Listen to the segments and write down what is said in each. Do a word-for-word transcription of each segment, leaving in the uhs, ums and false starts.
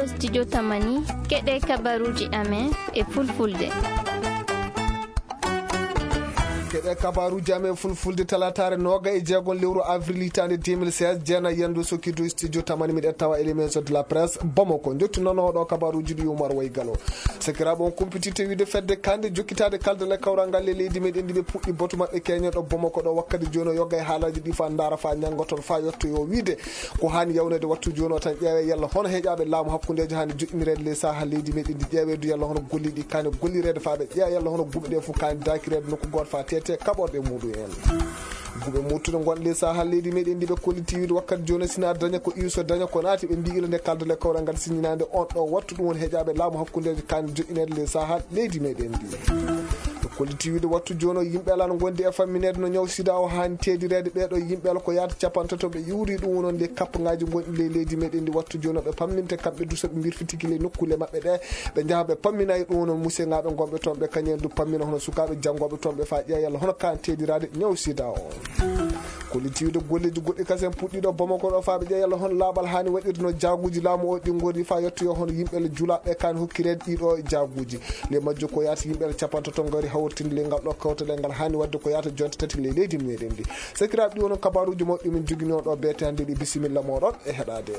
Studio Tamani, keɗe kabaruji amen e fulfulde. Keɗe kabaruji amen fulfulde talataare nooga e jeegom lewru avril hitaande deux mille seize, jeena yendo sokido studio Tamani, miɗen tawa éléments de la presse Bamako. Jottu noon oɗo kabaruji ɗi Umar Waygalo. Sakiraaɓe, on kumpititte wiide fedde kande jokkitaade kaldal e kawral ngal e leydi meɗen ndi ɓe puɗɗi batu maɓɓe keñen ɗo Bamako ɗo wakkati jooni o yogga e haalaji ɗi fa ndaara fa ñannga toon fa yettoyo wiide ko haani yawnede wattu jooni o tan ƴeewe yalla hono heƴaaɓe laamu hakkundeejo haani joƴƴinireede ley saha leydi meɗen ndi ƴeewe du yalla hono golli ɗi kaani gollireede fa ɓe ƴeewa yalla hono guɓe ɗe fof kaani daakireede nokku gooto fa tete kaɓorɗe muɗum en. Guɓe muttuɗe ngonɗe ley saha leydi meɗen ndi ɓe kolliti wiide wakkati jooni sina daña ko iwso daña ko naati ɓe mbi ila nde kaldale kawral ngal siññinaande on ɗo wattu ɗum woni heƴaaɓe laamu hakkundeejo kaani joƴƴineede ley saha leydi meɗen ndi. Ɓe kolliti wiide wattu jooni o yimɓe alaa no ngondi e fammineede no ñaw sida o haani teedireede ɓee ɗo yimɓe ala ko yaata capantato ɓe iwri ɗum woni nde kappangaaji ngonɗi ley leydi meɗen ndi wattu jooni o ɓe pamminte kamɓe du so ɓe mbirfitiki ley nokkuule maɓɓe ɗe ɓe njaha ɓe pammina e ɗum woni musiyaŋaaɓe ngonɓe toon ɓe kañen du pammina hono sukaaɓe janngooɓe toon ɓe fa ƴeewa yalla hono kaan teediraade ñaw sida o. Kolliti wiide golleeji goɗɗi kasen puɗɗiiɗo Bamako ɗo faa ɓe ƴeewa yalla hono laaɓal haani waɗirde no jaaguuji laamu o ɗi ngori faa yettoyo hono yimɓe le julaaɓe ɓe kaan hokkireede ɗiɗo jaaguuji. Ley majjo ko yaata yimɓe le capantato ngari hawritinde ley ngal ɗo kawtal e ngal haani waɗde ko yaata jonte tati ley leydi meɗen ndi. Sakiraaɓe ɗi wono kabaruuji mawɗi min jogini on ɗo beete hannde ɗi bisimilla mooɗon e heɗaade.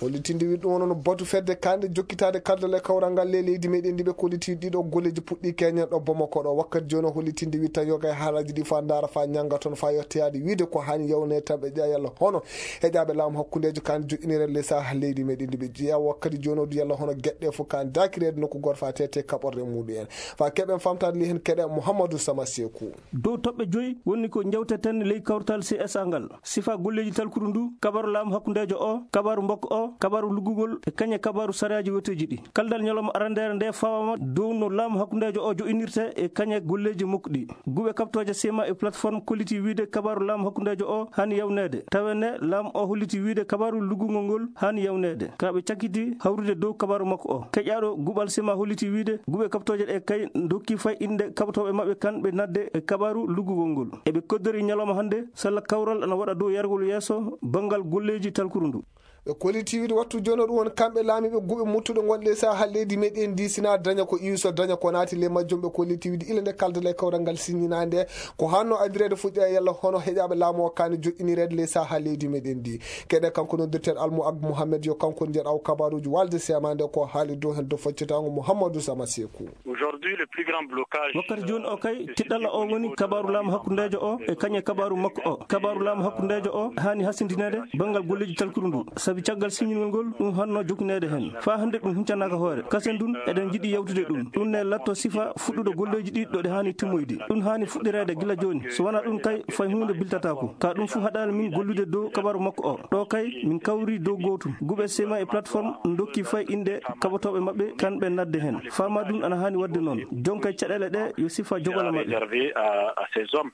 Hollitinde wiɗɗo wonno no batu fedde kande jokkitaade kaldal e kawral ngal ley leydi meɗen ndi ɓe kolliti ɗiɗo golleeji puɗɗi keñen ɗo Bamako ɗo wakkati jooni o hollitinde wiɗ tan yoga e haalaji ɗi fa ndaara fa ñannga toon fa yettoyaade wiide ko haani yawnee tan ɓe ƴeewa yalla hono heƴaaɓe laamu hakkundeejo kande joƴƴinireede ley saha leydi meɗen ndi ɓe ƴeewa wakkati jooni o du yalla hono geɗɗe fof kande daakireede nokku gooto fa tete kaɓorɗe muɗum en fa keɓen famtaade ley heen keɗe Mouhamadou Sama Sekou. Dow toɓɓe joyi woni ko njewteten ley kawtal C S A ngal. Sifa golleeji talkuru ndu, kabaru laamu hakkundeejo o, kabaru mbokko o, kabaru luggugol e kañe kabaru sariyaaji weteeji ɗi. Kaldal ñalawma arandeere nde fawama dow no laamu hakkundeejo o jo'inirte e kañe golleeji makko ɗi. Guɓe kaɓtooje sima e plateforme kolliti wiide kabaru laamu hakkundeejo o haani yawneede. Tawe ne laamu o holliti wiide kabaru luggugol ngol haani yawneede. Ka ɓe cakkiti hawrude dow kabaru makko o. Keƴaaɗo guɓal sima holliti wiide guɓe kaɓtooje ɗe kay dokki fay innde kaɓtooɓe maɓɓe kan ɓe nadde e kabaru luggugol ngol. Eɓe koddori ñalawma hannde sella kawral ana waɗa dow yargol yeeso banngal golleeji talkuru ndu. Ɓe kolliti wiide wattu jooni o ɗum woni kamɓe laamiiɓe guɓe muttuɗe ngonɗe e saha leydi meɗen ndi sina daña ko iwso daña ko naati ley majjum ɓe kolliti wiide ila nde kaldal e kawral ngal siññinaande ko hanno adireede fuɗɗa e yalla hono heƴaaɓe laamu o kaani joƴƴinireede ley saha leydi meɗen ndi. Keɗe kanko noddirten Almu Ag Mohamed yo kanko njeɗ aw kabaruuji walde semande ko haali dow heen dow faccitaango Mouhamadou Sama Sekou. Aujourd'hui, le plus grand blocage, wakkati jooni o kay tiɗɗalla o woni kabaru laamu hakkundeejo o e kañe kabaru makko o. Kabaru laamu hakkundeejo o haani hasindineede banngal golleeji talkuru ndu. Sabi caggal siññingol ngol ɗum hanno jokineede heen. Faa hannde ɗum huncanaaka hoore. Kasen ndun eɗen njiɗi yawtude ɗum. Ɗum ne latto sifa fuɗɗude golleeji ɗi ɗo ɗe haani timmoyde. Ɗum haani fuɗɗireede gila jooni. So wanaa ɗum kay fay huunde biltataako. Ka ɗum fof haɗaani min gollude dow kabaru makko o. Ɗo kay min kawri dow gootum. Guɓe sema e plateforme ndokki fay innde kaɓotooɓe maɓɓe kan ɓe nadde heen. Fama ɗum ana haani waɗde noon. Jonkay caɗeele ɗe yo sifa jogolo maɓɓe. Réservé à, à ces hommes.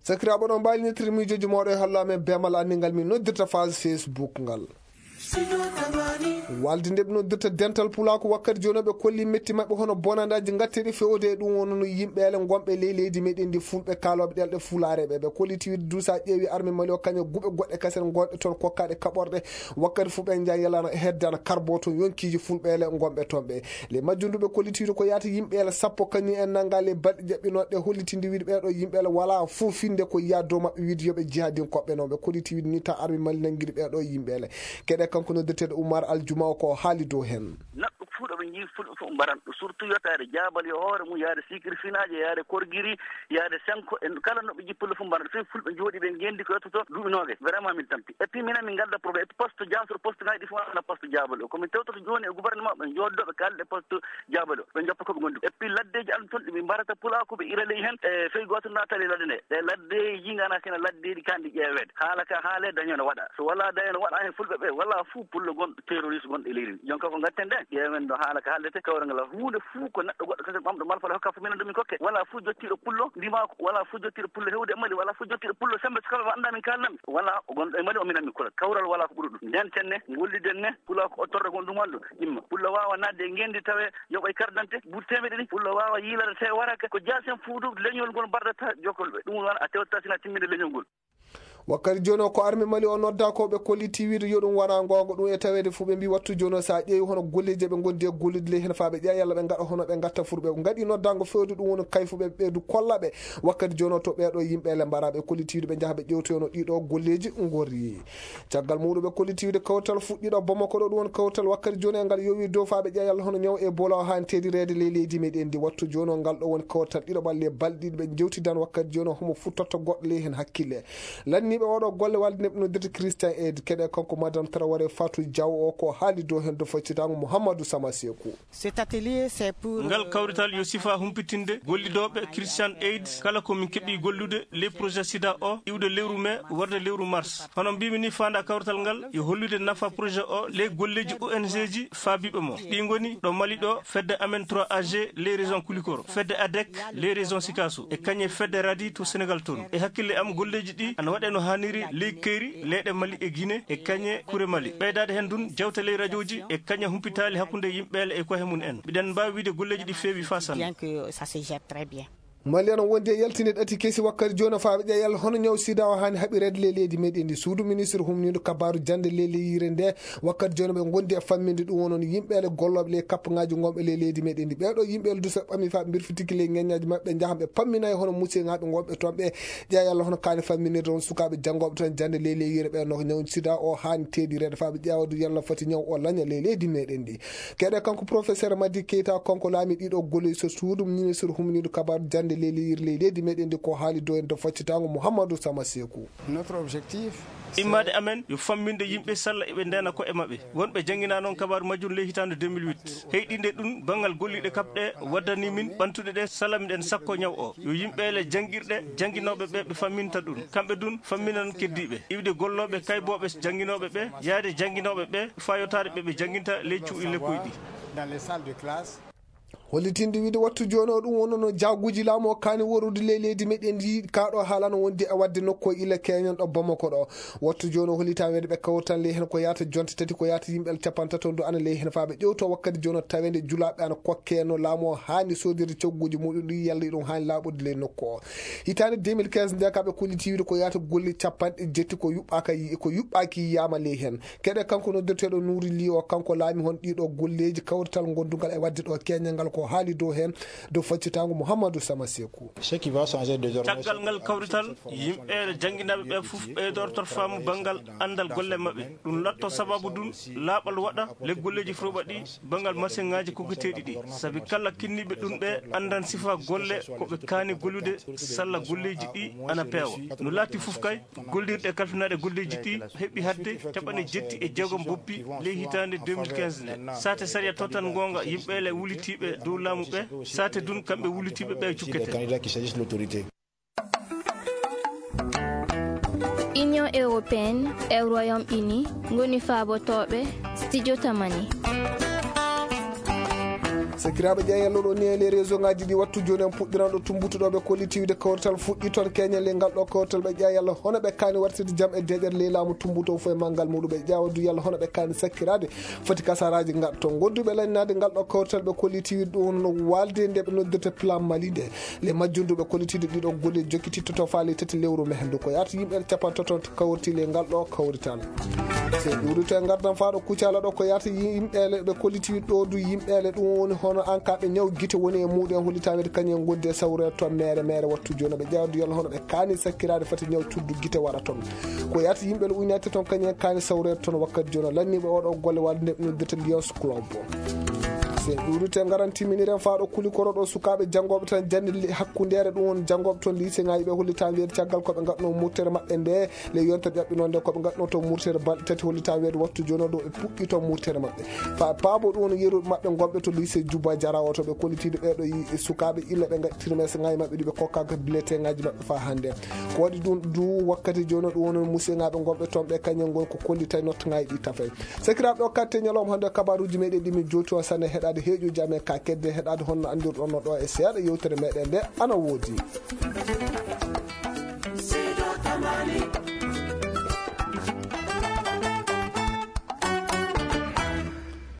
Sakiraaɓe ɗon mbaali nettirde miijooji mooɗo e holla men beemal anndingal min noddirta phase Facebook ngal. Walde nde ɓe noddirta dental pulaaku wakkati jooni ɓe kolli metti maɓɓe hono bonandaaji ngatteɗi fewde e ɗum wonno no yimɓe ele ngonɓe ley leydi meɗen ndi fulɓe kaalooɓe ɗelɗe fulaare ɓe ɓe kolliti wiide duusa ƴeewi arme mali o kañe guɓe goɗɗe kasen ngonɗe toon kokkaɗe kaɓorɗe wakkati fu ɓe njan yalana heddana karbo toon yonkiiji fulɓe ele ngonɓe toon ɓe le majjunduɓe kolliti wiide ko yaata yimɓe ele sappo kañum en nanga le balɗe jaɓɓinoɗe hollitinde wiide ɓeɗo yimɓe ele wala fuu finde ko yiya dow maɓɓe wiide yoɓe jihadin koɓɓe noon ɓe kolliti wiide ni tan arme mali nangiri ɓeɗo yimɓe ele keɗe kanko noddeteɗo Oumar Aljuma o ko haali dow heen. Neɗɗo fuu ɗo ɓe njii fulɓe fof mbaran ɗo surtout yotaade jaabal yo hoore mum yaade sikiri finaaje yaade korgiri yaade senko e kala no ɓe njii pullo fof mbaran ɗo fii fulɓe njooɗi ɓe ngenndi ko yettoto duuɓi noogayi vraiment min tampi et puis minen min ngadda problème et puis poste jaasor poste ngaji ɗi fof ana poste jaabal o komin tewtoto jooni e gouvernement ɓe njooddoo ɓe kaalda e poste jaabal o ɓe njoppa ko ɓe ngondi et puis laddeeji an toon ɗi ɓe mbarata pulaaku ɓe ira ley heen e fey gooto naatali ladde nde ɗe laddeeji ngana kene laddeeji kandi ƴeeweede haala ka haale daño no waɗa so wala daño no waɗa heen fulɓe ɓe wala fuu pullo gonɗo terroriste gonɗo e leydi ndi jonka ko ngatten ɗen ƴeewen no haala ka haaldete kawre ngal huunde fuu ko neɗɗo goɗɗo kese ɓamɗo malfale hokka fof minen ɗum min kokke wala fuu jottiiɗo pullo ndimaako wala fuu jottiiɗo pullo hewde e mali wala fuu jottiiɗo pullo sembe so kala annda min kaalnami wala o gonɗo e mali o minen mi kula kawral wala ko ɓuri ɗum ndenten ne ngolliden ne pullo ko o torre gon ɗum wonɗo imma pullo waawa naatde e ngenndi tawe yoɓa e carte d'identité buuɗi temeɗe ɗi pullo waawa yiilade tawi waraka ko jaasen fuu ɗum leñol ngol mbardata jokkol ɓe ɗum wona a tewtata sina timminde leñol ngol Wakkati jooni o, ko arme Mali o nodda ko ɓe kolliti wiide yo ɗum wona goonga, ɗum e taweede fuu ɓe mbii wattu jooni o, so a ƴeewi hono golleeji ɓe ngondi e gollude ley heen faa ɓe ƴeewa yalla ɓe ngaɗa hono ɓe ngatta fuu ɓe ngaɗi noddaango feewde ɗum woni kayfu ɓe ɓeydu kolla ɓe. Wakkati jooni o to ɓeeɗo yimɓe ele mbara ɓe kolliti wiide ɓe njaha ɓe ƴeewtoyo no ɗiɗo golleeji ngori. Caggal muuɗum ɓe kolliti wiide kawtal fuɗɗiiɗo Bamako ɗo ɗum woni kawtal wakkati jooni e ngal yowi dow faa ɓe ƴeewa yalla hono ñaw Ebola o haani teedireede ley leydi meɗen ndi. Wattu jooni o ngal ɗo woni kawtal ɗiɗo ɓalle balɗe ɗiɗi ɓe njewtidan wakkati jooni o homo futtorta goɗɗo ley heen hakkille. Lanniiɓe oɗo golle walde neɓno dirti Christian Aid keɗe kanko Madame Traoré Fatou Diaw o ko haali dow heen do faccitaango Mouhamadou Sama Sekou. Cet atelier, c'est pour, ngal kawrital yo sifa humpitinde gollidooɓe Christian Aid kala ko min keɓi gollude ley projet sida o iwde lewru mai warde lewru mars. Hono mbimi ni, faanda kawrital ngal yo hollude nafa projet o ley golleeji O N G ji faabiiɓe mo. Ɗi ngoni ɗo Mali ɗo fedde amen trois A G ley région Kulikoro, fedde adec ley région Sikaso e kañe fedde radi to Sénégal toon. E hakkille am golleeji ɗi ana waɗe no haaniri ley kayri leyɗe Mali e Guinée e kañe kure Mali. Ɓeydaade heen dun jawte ley rajooji e kañe humpitaali hakkunde yimɓeele e kohe mum en. Mbiɗen mbaawi wiide golleeji ɗi feewi faa sanne. Bien que ça se gère très bien. Mali ana wondi e yaltinde ɗati kesi wakkati jooni faa ɓe ƴeewa yalla hono ñaw sida o haani haɓireede ley leydi meɗen ndi. Suudu ministre humniiɗo kabaaru jannde ley leyire nde wakkati jooni ɓe ngondi e famminde ɗum wonon yimɓeele gollooɓe ley kappaŋaaji ngonɓe ley leydi meɗen ndi. Ɓeeɗo yimɓeele du so ɓe ɓamii faa ɓe mbirfitiki ley ŋeññaaji maɓɓe njahan ɓe pamminay hono musiyŋaaɓe ngonɓe toon ɓe ƴeewa yalla hono kaani famminirde on sukaaɓe janngooɓe toon jannde ley leyire ɓe no ñaw sida o haani teedireede faa ɓe ƴeewa du yalla foti ñaw o laña ley leydi meɗen ndi. Keɗe kanko professeur Madi Keita kanko laami ɗiɗo golleeji so suudu ministre humniiɗo kabaaru jannde ley leyire ley leydi meɗen ndi ko haali dow en do faccitaango Mouhamadou Sama Sekou. Notre objectif, c'est immaade amen yo famminde yimɓe salla eɓe ndeena ko'e maɓɓe. Wonɓe jannginaa noon kabaaru majjum ley hitaande deux mille huit. Heyɗinde ɗum banngal golliiɗe kaɓɗe waddani min ɓantuɗe ɗe salla miɗen sakko ñaw o. Yo yimɓeele janngirɗe jannginooɓe ɓe ɓe famminta ɗum. Kamɓe dun famminan keddiiɓe. Iwde gollooɓe kaybooɓe jannginooɓe ɓe, yaade jannginooɓe ɓe, faa yotaade ɓe ɓe jannginta ley cuuɗi lekkoy ɗi. Dans les salles de classe. Hollitinde wiide wattu jooni o ɗum wonno no jaaguuji laamu o kaani worude ley leydi meɗen ndi kaa ɗo haalano wondi e waɗde nokku o illa keñen ɗo Bamako ɗo. Wattu jooni o hollitaa weede ɓe kawtan ley heen ko yaata jonte tati ko yaata yimɓe capanɗe tati on du ana ley heen faa ɓe ƴewto wakkati jooni o taweede julaaɓe ana kokke no laamu o haani soodirde cogguuji muɗum ɗi yalla ɗum haani laaɓude ley nokku o. Hitaande deux mille quinze nde ka ɓe kolliti wiide ko yaata golli capanɗe jetti ko yuɓɓaaka yi-, ko yuɓɓaaki yiyaama ley heen. Keɗe kanko noddirteeɗo Nuuri Li o, kanko laami hon ɗiɗo golleeji kawrital gondungal e waɗde ɗo keñal ngal ko haali dow heen, dow faccitaango Mouhamadou Sama Sekou. Ce qui va changer désormais, caggal ngal kawrital, yimɓe jannginaaɓe ɓe fof ɓeydorto faamu banngal anndal golle maɓɓe. Ɗum latto sababu ɗum laaɓal waɗa le golleeji froɓa ɗi banngal masiŋaaji koketeeɗi ɗi. Sabi kala kinniiɓe ɗum ɓe anndan sifa golle ko ɓe kaani gollude salla golleeji ɗi ana peewa. No laati fof kay, gollirɗe kalfinaaɗe golleeji ɗi heɓi haɗde capanɗe jetti e jeegom boppi ley hitaande deux mille quinze nde. Saate sariya tottan ngoonga yimɓeele wulitiiɓe dow laamu ɓe, saate dun kamɓe wulitiiɓe ɓe cukkete. Des candidats qui choisissent l'autorité. Union européenne e Royaume-Uni ngoni faabotooɓe Studio Tamani. Sakiraaɓe ƴeewa yalla ɗo ni e les réseau ngaji ɗi wattu jooni en puɗɗiran ɗo tumbutuɗo ɓe kolliti wiide kawrital fuɗɗi toon keñal le ngal ɗo kawrital ɓe ƴeewa yalla hono ɓe kaani wartirde jam e deeƴere ley laamu tumbuto fof e manngal muɗum ɓe ƴeewa du yalla hono ɓe kaani sakkiraade foti kasaraaji ngal toon. Gonduɓe lanninaade ngal ɗo kawrital ɓe kolliti wiide ɗum no waalde nde ɓe noddirta plan Mali nde. Le majjundu ɓe kollitiiɗo ɗiɗo golle jokkititto to faale tati lewru mai. Ndu ko yaata yimɓe capanɗe tati kawriti le ngal ɗo kawrital. Se ɗuurito e ngardan faaɗo kucala ɗo ko yaata yimɓeele ɓe kolliti ɗo du yimɓeele ɗum woni hono an ka ɓe ñaw gite woni e muɗum en hollitaɓe kañum en gondi e sawre toon mere mere wattu jooni ɓe ƴeewa du yalla hono ɓe kaani sakkiraade fati ñaw cuddu gite waɗa toon. Ko yaata yimɓeele uñnaade toon kañum en kaani sawre toon wakkati jooni lanniɓe oɗo golle walde nde ɓe noddata Lions Club. Se ɗuurito e ngaran timminiren faaɗo kuli koro ɗo sukaaɓe janngooɓe tan jannde li-, hakkundeere ɗum woni janngooɓe toon lycée ŋaaji ɓe hollita weedu caggal ko ɓe ngaɗno murtere maɓɓe nde le yonta ƴaɓɓinoo nde ko ɓe ngaɗno to murtere balɗe tati hollita weedu wattu jooni ɗo ɓe puɗɗi toon murtere maɓɓe. Fa paabo ɗum woni yeru maɓɓe gonɓe to lycée Juba Jara o to ɓe kollitiiɗo ɓeeɗo yi-, sukaaɓe illa ɓe ngaɗi trimestre ŋaaji maɓɓe ɗi ɓe kokkaaka bulletin ŋaaji maɓɓe faa hannde. Ko waɗi ɗum du wakkati jooni ɗum woni musiyŋaaɓe gonɓe toon ɓe kañum ngon ko kollitay nottangaaji ɗi tafay. Sakiraaɓe o katte ñalawma hannde kabaaruuji meɗen ɗi min jowti on sanne heɗaade heeƴuuji amen ka kedde heɗaade honno anndirɗon no ɗo e seeɗa yewtere meɗen nde ana woodi.